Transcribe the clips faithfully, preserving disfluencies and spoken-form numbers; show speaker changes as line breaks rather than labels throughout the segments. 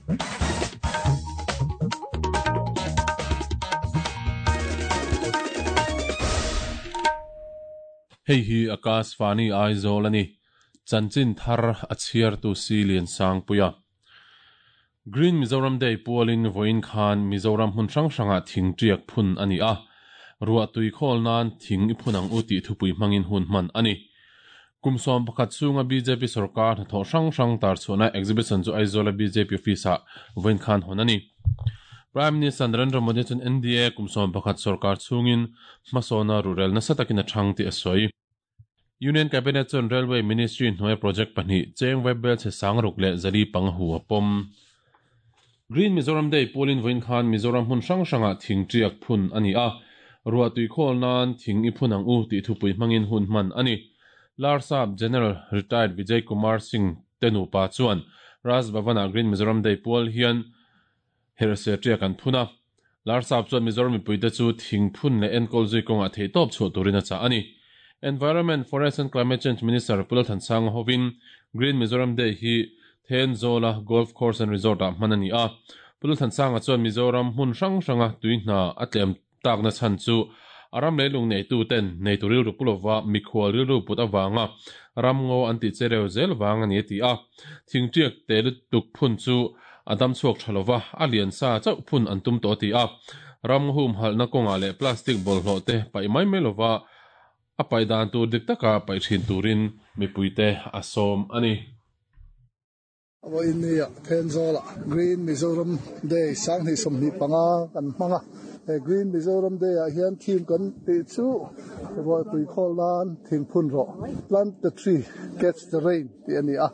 Hei hi Akashvani Aizawl ani. Chanchin thar a chhiar tu si lian sang puia. Green Mizoram Day pualin voin khan Mizoram hmun hrang hranga thing tiak phun ani a. Ruah tui khawl nan thing i phun ang u tih thupui hmangin hun hman ani. Kumsawm pakhat chunga B J P sarkar hnathawh hrang hrang tar chhuahna exhibition chu Aizawl a B J P office ah voin khan hawn ani. Prime Minister Narendra Modi chuan N D A kumsawm pakhat sarkar chungin hmasawna rurel nasa takin a thang tih a sawi. Union Cabinet chuan Railway Ministry hnuai project pahnih cheng web bel che sangruk leh zali panga hu a pawm. Green Mizoram Day pualin voin khan Mizoram hmun hrang hranga thing tiak phun ani a. Ruah tui khawl nan thing i phun ang u tih thupui hmangin hun hman ani. Larsap General Retired Vijay Kumar Singh tenupa chuan Raj Bhavana Green Mizoram Day pual hian herse tiak an phuna. Larsap chuan Mizoram mipuite chu thing phun leh enkawl zui kawnga thei tawp chhuah turin a chah ani. Environment, Forest and Climate Change Minister Pu Lalthansanga hovin Green Mizoram Day hi Thenzola Golf Course and Resort ah hman ani a. Pu Lalthansanga chuan Mizoram hmun hrang hranga tuihna a tlem takna chhan chu aram leilung nei tu ten nei turil ru pulova mikhual ril ru put awanga ramngo an ti chereu zel wang ani ti a. Thing tiak te tuk phun chu adam chuak thalova a lian sa chau phun an tum to ti a. Ram hum halna konga le plastic bol hlo te pai mai mai lova a pai dan tur dik taka pai thin turin mipuite a sawm ani.
Avo in nia Thenzola Green Mizoram Day sang hi somni panga kan hmanga. He Green Mizoram Day ah hian theme kan ti chu ruah tui khawl nan thing phun rawh. Plant the tree, catch the rain ti ani a.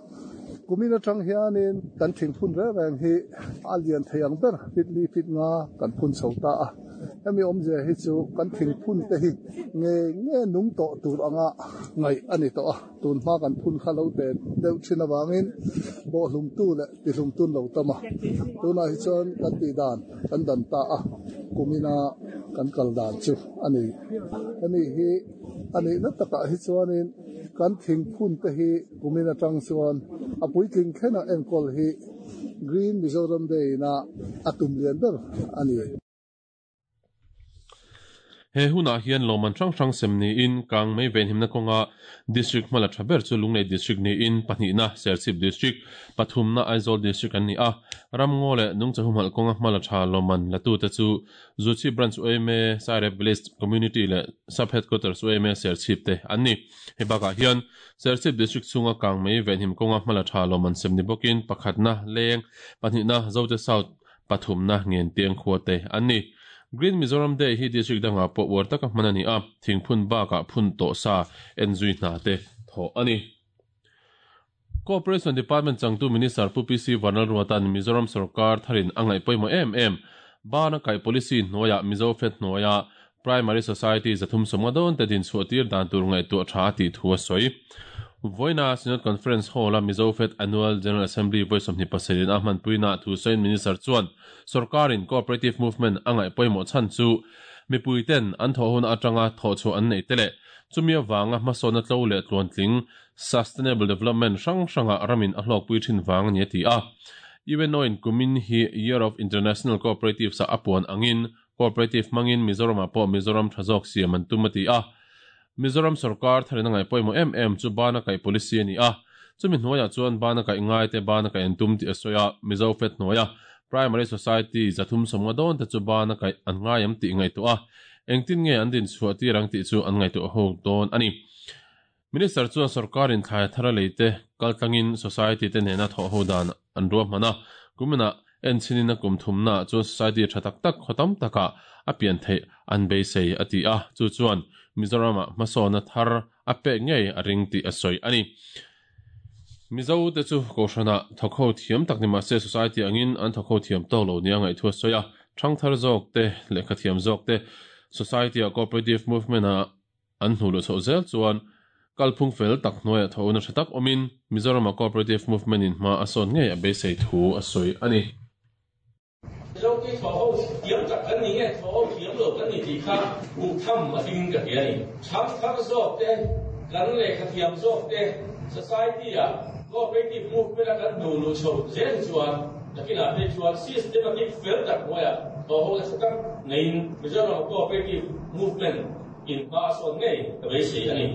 Kumin atang hianin kan thing phun re reng hi a lian thei ang ber fit li fit nga kan phun chho ta a. Hemi awmzia hi chu kan thing phun te hi nge nge nung tawh tur anga ngai ani tawh a. Tun hma kan phun kha lo te deuh thin awangin bawh hlum tu leh ti hlum tun lo tama. Tunah hi chuan kan tih dan kan dan ta a. Kumina kan kal dan chu ani. Hemi hi ani na takah hi chuanin kan thing phun te hi kumin atang chuan a puitling thlena enkawl hi Green Mizoram Day na a tum lian ber ani.
He hunah hian lawman hrang hrang sem niin kang mei ven himna kawnga district hmala tha ber chu Lunglei district niin pahnihna Serchhip district pathumna Aizawl district an ni a. Ramngo leh nungcha humhalh kawnga hmala tha lawman latu te chu Zuchhip branch U M A Sairep Village Community leh Sub Headquarters U M A Serchhip te an ni. He bakah hian Serchhip district chunga kang mei ven him kawnga hmala tha lawman sem ni bawkin pakhatna leng pahnihna Zote South pathumna ngen tiang khua te an ni. Green Mizoram Day hi district danga pawh uar taka hman ani a. Thing phun bakah phun tawh sa en zui hna te thaw ani. Cooperation Department changtu Minister Pu P C Vanlalruatan Mizoram sarkar tharin angai pawimawh em em. Bana kai policy hnuaiah Mizo Fet hnuaiah Primary Society zathum sawmnga dawn te din chhuah tir dan tur ngaihtuah tha tih thu a sawi. Voina Synod Conference Hall a Mizo Fet Annual General Assembly voi sawmhnih pasarih a hmanpuina thu sawiin Minister chuan sarkarin cooperative movement angai pawimawh chhan chu mipuiten an thawh hun atanga thawh chhuah an nei te leh chumi awanga hmasawna tlo leh tluantling sustainable development hrang hranga ramin a hlawkpui thin wang ani a ti a. U N O in kumin hi Year of International Cooperatives a apuan angin cooperative mangin Mizoram ah pawh Mizoram thazawk siam an tum a ti a. Mizoram sarkar tharin angai pawimawh em em chu bana kai policy ani a. Chumi hnuaiah chuan bana kai ngai te bana kai an tum tih a sawi a. Mizo Fet hnuaia Primary Society zathum sawmnga dawn te chu bana kai an ngai am tih ngaihtuah a. Engtin nge an din chhuah tir ang tih chu an ngaihtuah ho dawn ani. Minister chuan sarkarin thlai thara leite kaltlangin society te nena thawh ho dan an ruah hman a. Kumina en chinin a kum thumna chuan society tha tak tak khawtam taka a pian theih an beisei a ti a. Chu chuan Mizoram ah hmasawna thar a pek ngei a ring tih a sawi ani. Mizo te chu kohhrana thawk ho thiam tak ni mahse society angin an thawk ho thiam tawk lo nia ngaih thu a sawi a. Thang thar zawk te lehkha thiam zawk te society a cooperative movement a an hnu lu chhoh zel chuan kalphung fel tak hnuaiah tho na tha tak awmin Mizoram a cooperative movement in hma a sawn ngei a beisei thu a sawi ani.
Mizo te thaw ho thiam tak kan ni nge thaw ho thiam lo kan ni tih kha hmuh tham a tling ka ti ani. Thang thar zawk te kan lehkha thiam zawk te society a cooperative movement a kan hnu lu chhoh zel chuan Nakinah phei chuan systematic fel tak hnuaiah thawh ho nasa tak neiin Mizoram Cooperative Movement in hma a sawn ngei ka beisei a ni.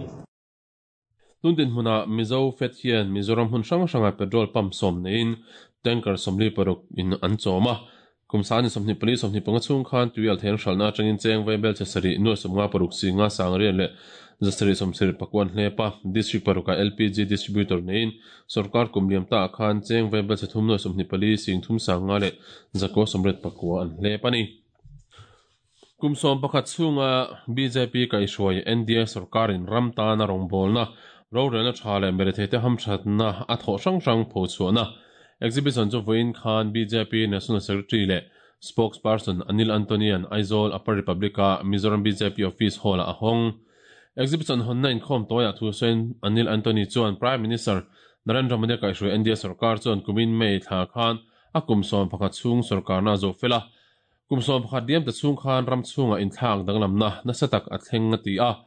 Tun dinhmunah Mizo Fed hian Mizoram hmun hrang hrangah petrol pump sawm neiin tanker sawmli paruk in an chawm a. Kum sani sawmhnih pali sawmhnih panga chhung khan tuial thein hralhna atangin cheng vaibel che sarih nuai sawmnga paruk si nga sangriat leh zasarih sawmsarih pakuan hlepa district paruka L P G distributor neiin sarkar kum liam ta khan cheng vaibel che thum nuai sawmhnih pali sing thum sanga leh zakua sawmriat pakua an hlep ani. Kum sawm pakhat chhunga B J P kaihhruai N D A sarkarin ram tana rawngbawlna rorelna tha leh meretheite hamthatna a thawh hrang hrang pho chhuahna exhibition chu vawiin khan B J P National Secretary leh spokesperson Anil Antonian Aizawl Upper Republic-a Mizoram B J P Office Hall-a a hawng. Exhibition hawnna inkhawm tawiah thu sawiin Anil Antony chuan Prime Minister Narendra Modi kaihhruai N D A sarkar chuan kumin May thla khan a kum sawm pakhat chhung sarkarna a zawh fel a. Kum sawm pakhat diam ta chhung khan ram chhunga inthlak danglamna nasa tak a thleng a ti a.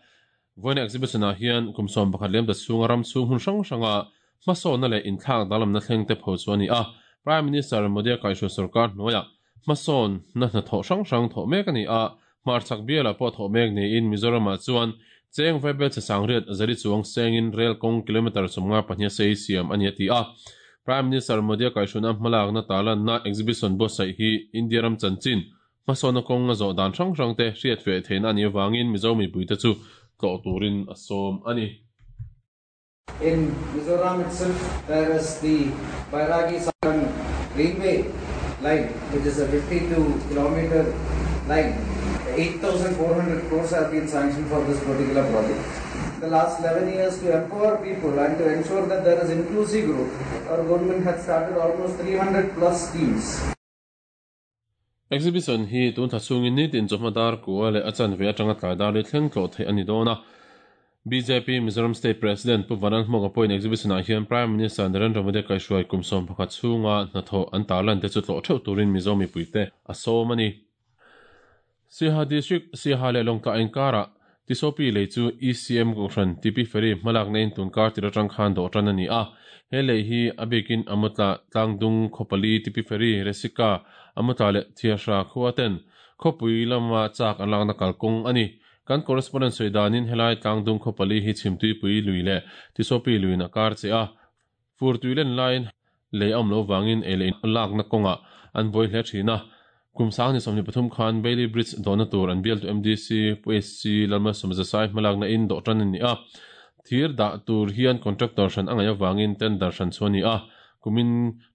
Vawiin exhibition ah hian kum sawm pakhat liam ta chhunga ram chhung hun hrang hranga hmasawnna leh inthlak danglamna thleng te pho chu ani a. Prime Minister Modi kaihhruai sarkar hnuaiah hmasawnna hnathawh hrang hrang thawh mek ani a. Hmarchhak bialah pawh thawh mek niin Mizoramah chuan cheng vaibel che sangriat zari chuang sengin rail kawng kilometer sawmnga pahnih sei siam ani a ti a. Prime Minister Modi kaihhruaina hmalakna talanna exhibition buatsaih hi India ram chanchin hmasawnna kawng a zawh dan hrang hrang te hriat feh theihna ani avangin Mizo mipuite chu tlawh turin a sawm ani.
In Mizoram itself, there is the Bairagi Saran railway line, which is a fifty-two kilometer line. eight thousand four hundred crores have been sanctioned for this particular project. The last eleven years, to empower people and to ensure that there is inclusive growth, our government has started almost three hundred plus schemes.
Exhibition hi tun tha chungin ni tin chawhma dar kua leh a chanve atanga tlai dar li thleng tlawh theih ani dawn a. B J P Mizoram State President Pu Vanal Hmawk a pawhin exhibition ah hian Prime Minister Narendra Modi kaihhruai kum sawm pakhat chhunga hnathawh an tarlan te chu tlawh theuh turin Mizo mipuite a sawm ani. Siaha District Siaha leh Lawngtlai inkara Tisopi lei chu E C M Kohhran T P Ferry hmalakna in tunkar tir atang khan dawh tan ani a. He lei hi a bikin Amutla Tlangdung Khawpali T P Ferry Resika Amutla leh Thiahra khua ten khawpui lama chak an lakna kalkawng ani. Kan correspondent sawidanin helai Tlangdung Khawpali hi chhimtui pui lui leh Tisopi luin a kar che a. Fur tuilen lain lei awm lo wangin ei leh lakna kawnga an vawi hle thin a. Kum sang ni sawmhnih pathum khan Bailey Bridge dawhna tur an bial tu M D C P S C Lalma Sawmzasai hmalakna in dawh tan ani a. Thir dah tur hian contractor hran a ngaih avangin tender hran chu ani a. Kumin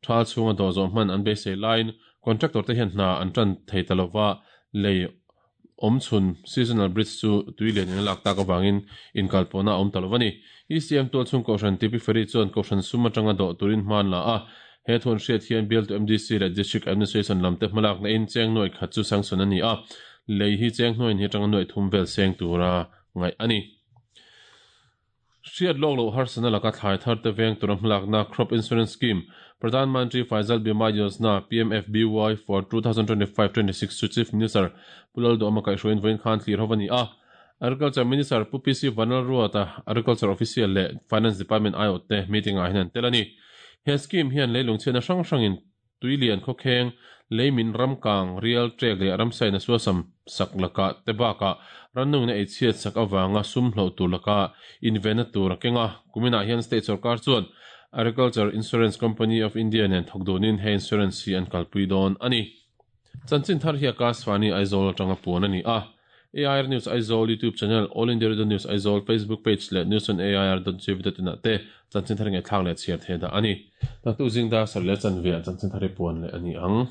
thal chhunga dawh zawh hman an beisei lain contractor te hian hna an tan thei ta lova lei awm chhun seasonal bridge chu tuilian in a lak tak avangin inkalpawhna a awm ta lova ni. E C M tual chhung Kohhran T P Ferry chuan Kohhran sum atanga dawh turin hman la a. He thuan hriat hian bial tu M D C leh District Administration lam te hmalakna in cheng nuai khat chu sanction ani a. Lei hi cheng hnuaiin hi atanga nuai thum vel seng tura ngaih ani. Hriat lawk loh harsana laka thlai thar te veng tura hmalakna Crop Insurance Scheme Pradhan Mantri Fasal Bima Yojana P M F B Y for twenty twenty-five twenty-six chu Chief Minister Pu Lalduhoma kaihhruaiin vawiin khan thlir ho ani a. Agriculture Minister Pu P C Vanlalruata Agriculture Official leh Finance Department I O te meeting ah hian an tel ani. He scheme hian leilung chhiatna hrang hrangin tuilian khawkheng leimin ramkang rial trek leh ramsaina suasam sak laka te bakah rannungna ei chhiat sak awanga sum hloh tur laka invena tur a kenga. Kuminah hian state sarkar chuan Agriculture Insurance Company of India nen thawk dunin he insurance hi an kalpui dawn ani. Chanchin thar hi Akashvani Aizawl atanga puan ani a. A I R News Aizawl YouTube channel, All India Radio News Aizawl Facebook page leh news on A I R dot gov dot in ah te chanchin thar nge thlak leh chhiar the dah ani. Taktu zingda sar leh chanve chanchin thar hi puan leh ani ang.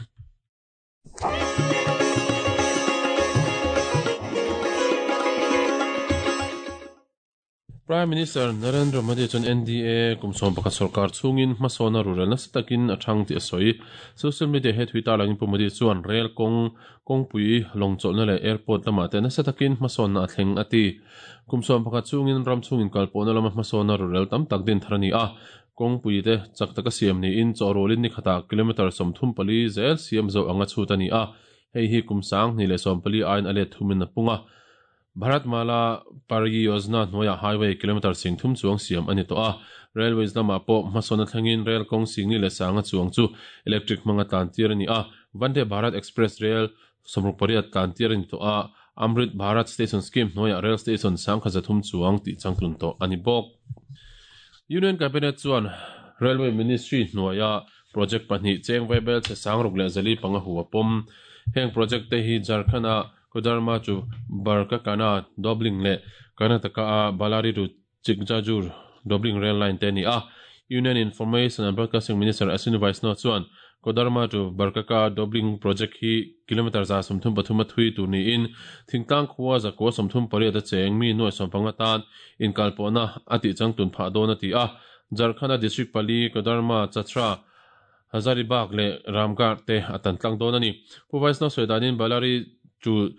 Prime Minister Narendra Modi chuan N D A kum sawm pakhat sarkar chhungin hmasawnna rural nasa takin a thang tih a sawi. Social media he thui tarlangin Pu Modi chuan rail kawng kawngpui lawngchawlhna leh airport lamah te nasa takin hmasawnna a thleng a ti. Kum sawm pakhat chhungin ram chhungin kalpawhna lama hmasawnna rural tam tak din thar ani a. Kawngpui te chak taka siam niin chawhrawlin ni khatah kilometer sawmthum pali zel siam zo anga chhut ani a. Hei hi kum sang hnih leh sawm pali aiin a let thumin a pung a. Bharatmala Pariyojana hnuaiah highway kilometer sing thum chuang siam ani tawh a. Railways lamah pawh hmasawn thlengin rail kawng singni leh sanga chuang chu electric hmanga tlan tir ani a. Vande Bharat Express Rail sawmruk pariat tlan tir ani tawh a. Amrit Bharat Station Scheme hnuaiah rail station sangkhat zathum chuang tih changtlun tawh ani bawk. Union Cabinet chuan Railway Ministry hnuaiah project pahnih cheng vaibel che sangruk leh zali panga hu a pawm. Heng project te hi Jharkhand a Koderma to Barkakana Dobling leh Karnataka a Ballari to Chikjajur Dobling rail line te ani a. Union Information and Broadcasting Minister Ashwini Vaishnaw chuan Koderma to Barkaka Dobling project hi kilometer za sawmthum pathum a thui tur niin thingtlang khua zakua sawmthum pariat a cheng mi nuai sawmpanga tan inkalpawhna a tih changtun phah dawn a ti a. Jharkhand a district pali Koderma, Chatra, Hazaribagh leh Ramgarh te a tan tlang dawn ani. Pu Vaishnaw sawi danin Ballari to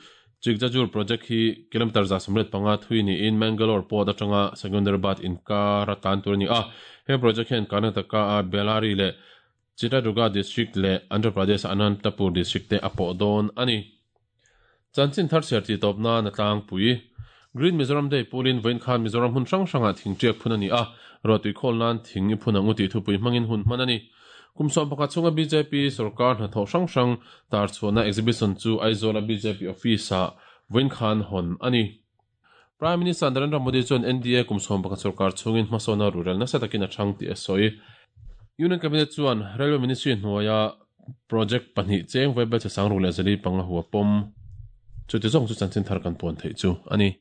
Chikjajur project hi kilometer za sawmriat panga thui niin Mangalore port atanga Secunderabad inkar a tan tur ani a. He project hian Karnataka a Bellary leh Chitradurga district leh Andhra Pradesh Anantapur district te a pawh dawn ani. Chanchin thar chhiar tih tawp nan a tlangpui. Green Mizoram Day pualin vawiin khan Mizoram hun hrang hrangah thing tiak phun ani a. Ruahtui khawl nan thing i phun ang u tih thupui hmangin hun hman ani. Kum sawm pakhat chunga B J P sarkar hnathawh hrang hrang tar chhuahna exhibition chu Aizawl a B J P office ah vawiin khan hawn ani. Prime Minister Narendra Modi chuan N D A kum sawm pakhat sarkar chungin hmasawna rurel nasa takin a thang tih a sawi. Union Cabinet chuan Railway Ministry hnuaia project pahnih cheng vaibel che sangruk leh zali panga hu a pawm. Chu ti zawng chu chanchin thar kan puan theih chu ani.